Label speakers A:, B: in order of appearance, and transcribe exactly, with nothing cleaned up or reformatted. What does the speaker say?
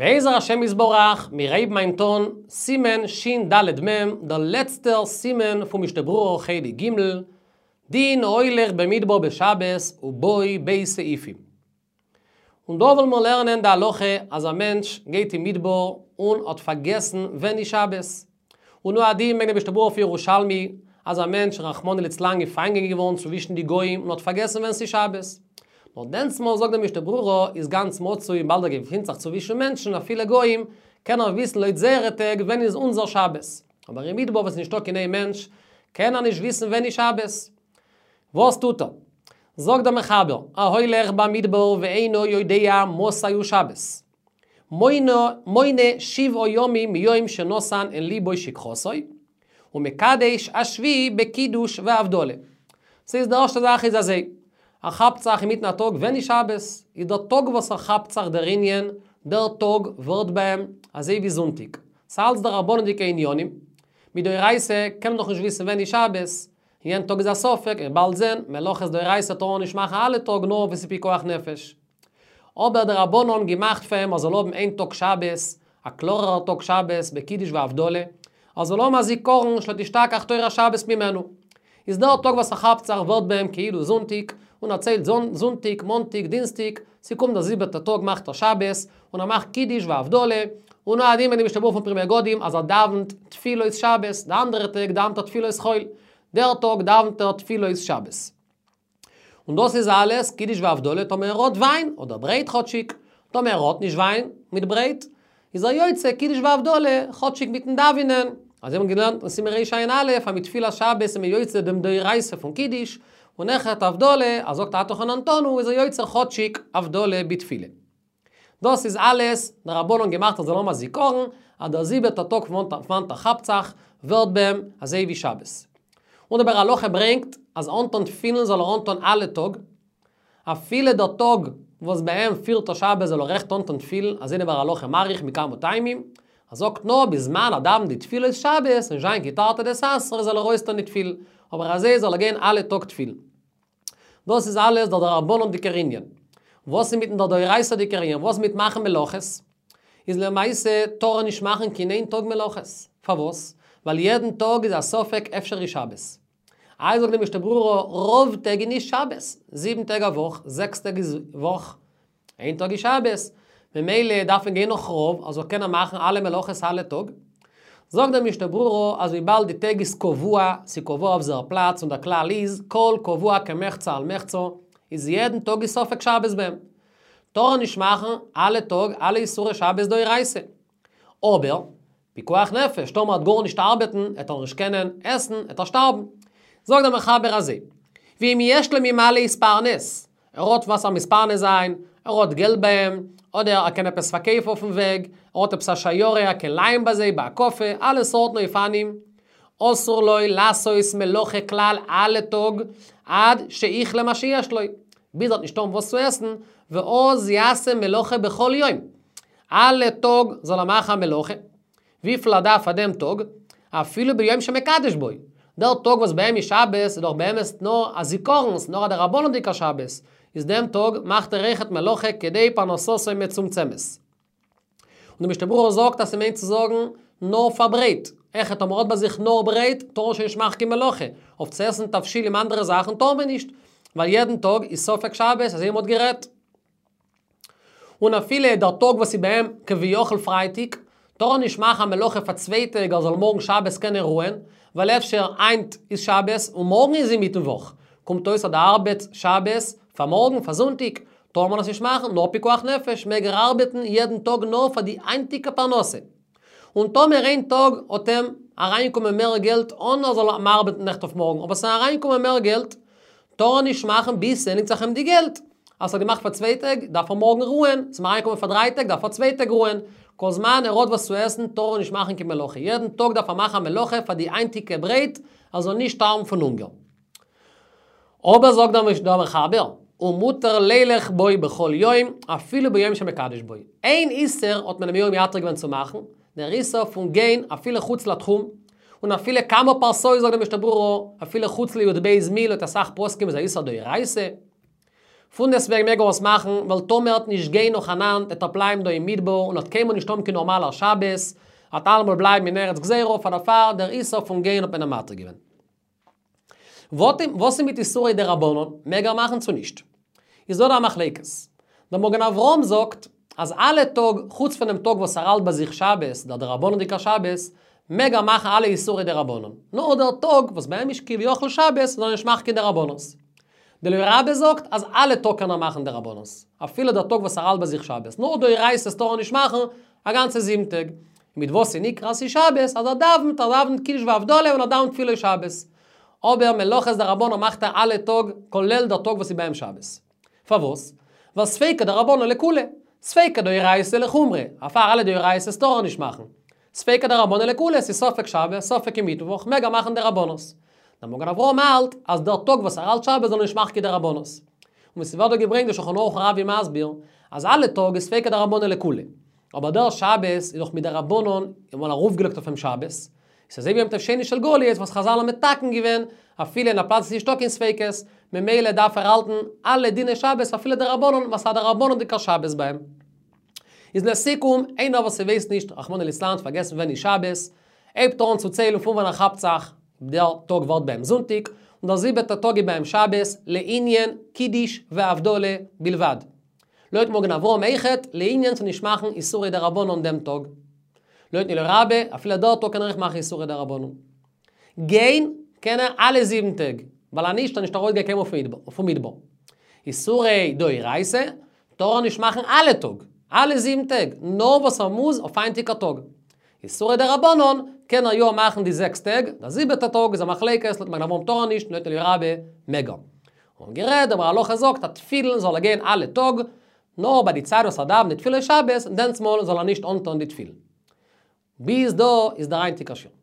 A: בעזר השם יתברך, מיר הייבן היינט אן, סימן שין ד' מ', דער לעצטער סימן פון משנה ברורה חלק ג', דין ההולך במדבר בשבת ובו ב' סעיפים. און דא וועלן מיר לערנען די הלכה אז א מענטש גייט אין מדבר און האט פארגעסן ווען איז שבת. און הוא הדין ברענגט דער משנה ברורה אויף ירושלמי אז א מענטש רחמנא ליצלן געפאנגען געווארן צווישן די גוים און האט פארגעסן ווען ס'איז שבת. נאר דענסמאל זאגט דער משנה ברורה איז גאנץ מצוי וויבאלד ער געפינט זיך צווישן מענטשן אפילו גוים קען ער וויסן לויט זייערע טעג ווען איז אונזער שבת. אבער אין מדבר וואס איז נישטא קיין איין מענטש קען ער נישט וויסן ווען איז שבת. וואס טוט ער? זאגט דער מחבר, ההולך במדבר ואינו יודע מתי הוא שבת. מונה, מונה שבעה ימים מיום שנתן אל ליבו שכחתו, ומקדש השביעי בקידוש והבדלה. ס'איז די ערשטע זאך איז אזוי, ער כאפט זיך אינמיטן א טאג ווען איז שבת, איז דער טאג וואס ער כאפט זיך דער ענין, דער טאג ווערט ביי אים אזוי ווי זונטאג. ס'אלץ דרבנן'דיגע עניינים. מדאורייתא קען מען דאך נישט וויסן ווען איז שבת, יענעם טאג איז א ספק, מ'וועט באלד זען, מלאכות דאורייתא טאר מען נישט מאכן אלע טאג נאר ווען ס'איז פיקוח נפש. אבער די רבנן האבן געמאכט פאר אים ער זאל האבן איין טאג שבת, א קלארערע טאג שבת בקידוש והבדלה, ער זאל האבן א זיכרון שלא תשתכח תורת שבת ממנו. איז דער טאג וואס ער כאפט זיך ווערט ביי אים כאילו זונטיג, און ער ציילט זונטיג, מאנטיג, דינסטיג, ס'קומט דער זיבעטער טאג מאכט ער שבת, און ער מאכט קידוש והבדלה, און הוא הדין ברענגט די משנה ברורה פון פרי מגדים אז ער דאווענט תפילות שבת, די אנדערע טעג דאווענט ער תפילות חול, דער טאג דאווענט ער תפילות שבת. און דאס איז אלעס קידוש והבדלה טאמער ער האט וויין, אדער ברייט כאטשיג, טאמער ער האט נישט וויין מיט ברייט, איז ער יוצא קידוש והבדלה כאטשיג מיטן דאווענען, אזוי האבן מיר געלערנט אין סימן רע"א אז מיט תפילת שבת איז מען יוצא דעם דאורייתא פון קידוש, און אויכעט הבדלה, ער זאגט אתה חוננתנו איז ער יוצא כאטשיג הבדלה בתפילה. דאס איז אלעס דרבנן געמאכט ער זאל האבן א זיכרון אז דער זיבעטער טאג פון וואנעט ער כאפט זיך ווערט ביי אים אזוי ווי שבת. און דער ביאור הלכה ברענגט אז אנטון תפילין זאל ער אנטון אלע טאג, אפילו דער טאג וואס ביי אים פירט ער שבת זאל ער אויכעט אנטון תפילין, אזוי דער ביאור הלכה מאריך מכמה טעמים, ער זאגט נאר בזמן ער דאווענט די תפילות שבת, נישט זיין קיין תרתי דסתרי זאל ער אויסטון די תפילין, אבער אזוי זאל ער גיין אלע טאג תפילין. דאס איז אלעס דער דרבנן'דיגער ענין. וואס איז מיטן דער דאורייתא'דיגער ענין? וואס מיט מאכן מלאכות? איז למעשה טאר ער נישט מאכן קיין איין טאג מלאכות. פארוואס? ווייל יעדן טאג איז א ספק אפשר איז שבת. איי זאגט די משנה ברורה, רוב טעג איז נישט שבת, זיבן טעג א וואך, זעקס טעג איז וואך, איין טאג איז שבת, ממילא דארף מען גיין נאך רוב, אז זאל קענען מאכן אלע מלאכות אלע טאג. זאגט די משנה ברורה אז וויבאלד די טעג איז קבוע, ס'איז קבוע אויף זייער פלאץ און דער כלל איז כל קבוע כמחצה על מחצה, איז יעדן טאג איז ספק שבת ביי אים. טאר ער נישט מאכן אלע טאג אלע איסורי שבת דאורייתא. אבער, פיקוח נפש, טאמער ער וועט גארנישט ארבעטן, וועט ער נישט קענען עסן, וועט ער שטארבן. זאגט דער מחבר אזוי, ואם יש לו ממה להתפרנס, ער האט וואס ער מתפרנס זיין, ער האט געלט ביי אים, אדער ער קען עפעס פארקויפן אויפן וועג, ער האט עפעס א שיירה ער קען לייען ביי זיי בהקפה, אלע סארטן אופנים, אסור לו לעשות מלאכה כלל אלע טאג, עד שיכלה מה שיש לו, ביז ער וועט נישט האבן וואס צו עסן, ואז יעשה מלאכה בכל יום. אלע טאג זאל ער מאכן א מלאכה, וויפיל ער דארף פאר דעם טאג, אפילו ביום שמקדש בו. דער טאג וואס ביי אים איז שבת איז דאך באמת נאר א זיכרון, ס'נאר א דרבנן'דיגע שבת, איז דעם טאג מאכט ער אויכעט מלאכה כדי פרנסתו מצומצמת. און די משנה ברורה זאגט אז ס'מיינט צו זאגן נאר פאר ברייט, אויכעט טאמער האט ביי זיך נאר ברייט טאר ער שוין נישט מאכן קיין מלאכה, אויף צו עסן תבשילים אנדערע זאכן טאר מען נישט, ווייל יעדן טאג איז ספק שבת אזוי ווי מ'האט גערעדט. און אפילו דער טאג וואס איז ביי אים כביכול פרייטאג, טאר ער נישט מאכן א מלאכה פאר צוויי טעג ער זאל מארגן שבת קענען רוען, ווייל אפשר היינט איז שבת און מארגן איז אינמיטן וואך, קומט אויס אז ער ארבעט שבת פאר מארגן פאר זונטאג, טאר מען עס נישט מאכן, נאר פיקוח נפש מעג ער ארבעטן יעדן טאג נאר פאר די היינטיגע פרנסה. און טאמער איין טאג האט אים אריינגעקומען מער געלט אן ער זאל ארבעטן נעכט אויף מארגן, אבער ס'איז אריינגעקומען מער געלט, טאר ער נישט מאכן ביז ס'ענדיגט זיך אים די געלט. אז ער האט געמאכט פאר צוויי טעג, דארף ער מארגן רוען, ס'איז אים אריינגעקומען פאר דריי טעג, דארף ער צוויי טעג רוען. כל זמן ער האט וואס צו עסן, טאר ער נישט מאכן קיין מלאכה. יעדן טאג דארף ער מאכן א מלאכה פאר די היינטיגע ברייט, ער זאל נישט שטארבן פון הונגער. אבער זאגט דער מחבר, ומותר לילך בו בכל יום, אפילו ביום שמקדש בו. איין איסור האט מען אים יא מתיר געווען צו מאכן, דער איסור פון גיין אפילו חוץ לתחום, און אפילו כמה פרסאות זאגט דער משנה ברורה, אפילו חוץ לי"ב מיל לויט אסאך פוסקים איז א איסור דאורייתא. פונדעסטוועגן מעג ער עס מאכן, ווייל טאמער ער וועט נישט גיין נאכאנאנד, וועט ער בלייבן דא אין מדבר און וועט קיינמאל נישט האבן קיין נארמאלער שבת, וועט אלעמאל בלייבן אין ארץ גזירה, פאר דערפאר דער איסור פון גיין האט מען אים מתיר געווען. וואס איז מיט איסורי דרבנן, מעג ער מאכן צו נישט? איז דא דא א מחלוקת. דער מגן אברהם זאגט אז אלע טאג, חוץ פונעם טאג וואס ער האלט ביי זיך שבת, דער דרבנן'דיגער שבת, מעג ער מאכן אלע איסורי דרבנן. נאר דער טאג וואס ביי אים איז כביכול שבת, זאל ער נישט מאכן קיין דרבנן'ס. דער אליה רבה זאגט אז אלע טאג קען ער מאכן דרבנן'ס, אפילו דער טאג וואס ער האלט ביי זיך שבת, נאר דאורייתא'ס טאר ער נישט מאכן א גאנצע זיבן טעג. מיט וואס איז נקרא אז ס'איז שבת? אז ער דאווענט, ער דאווענט קידוש והבדלה און ער דאווענט תפילות שבת. אבער מלאכות דרבנן מאכט ער אלע טאג, כולל דער טאג וואס איז ביי אים שבת. פארוואס? ווייל ספיקא דרבנן לקולא, ספיקא דאורייתא לחומרא, דערפאר אלע דאורייתא'ס טאר ער נישט מאכן. ספיקא דרבנן לקולא, ס'איז ספק שבת, ספק מיטוואך, מעג ער מאכן דרבנן'ס. דער מגן אברהם האלט אז דער טאג וואס ער האלט שבת זאל ער נישט מאכן קיין דרבנן'ס. און ווי ס'ווערט דא געברענגט די שולחן ערוך הרב איז מסביר אז אלע טאג איז ספיקא דרבנן לקולא. אבער דער שבת איז דאך מדרבנן און ארויפגעלייגט אויף אים שבת. איז אזוי ווי יום טוב שני של גליות וואס חזל האבן מתקן געווען אפילו אין א פלאץ וואס איז נישטא קיין ספיקות, ממילא דארף ער האלטן אלע דיני שבת אפילו דרבנן ווייל ס'איז א דרבנן'דיגער שבת ביי אים. איז לסיכום, איינער וואס ס'ווייסט נישט, רחמנא ליצלן, פארגעסן ווען איז שבת, הייבט ער אן צו ציילן פון ווען ער כאפט זיך, דער טאג ווערט ביי אים זונטאג, און דער זיבעטער טאג איז ביי אים שבת, לענין קידוש והבדלה בלבד. לויט מגן אברהם אויכעט, לענין צו נישט מאכן איסורי דרבנן דעם טאג. לויטן אליה רבה, אפילו דער טאג קען ער אויך מאכן איסורי דרבנן. גיין קען ער אלע זיבן טעג, ווייל אנישט ער נישט ארויסגיין קיינמאל פון מדבר. איסורי דאורייתא טאר ער נישט מאכן אלע טאג, אלע זיבן טעג, נאר וואס ער מוז אויף היינטיגע טאג. איסורי דרבנן קען ער יא מאכן די זעקס טעג, דער זיבעטע טאג איז א מחלוקת, לויט מגן אברהם טאר ער נישט, לויט אליה רבה מעג ער. און גערעדט, דער ביאור הלכה זאגט אז תפילין זאל ער גיין אלע טאג, נאר ביי די צייט וואס ער דאווענט די תפילות שבת, דענסמאל זאל ער נישט אנטון די תפילין. ביז דא איז דער היינטיגער שיעור.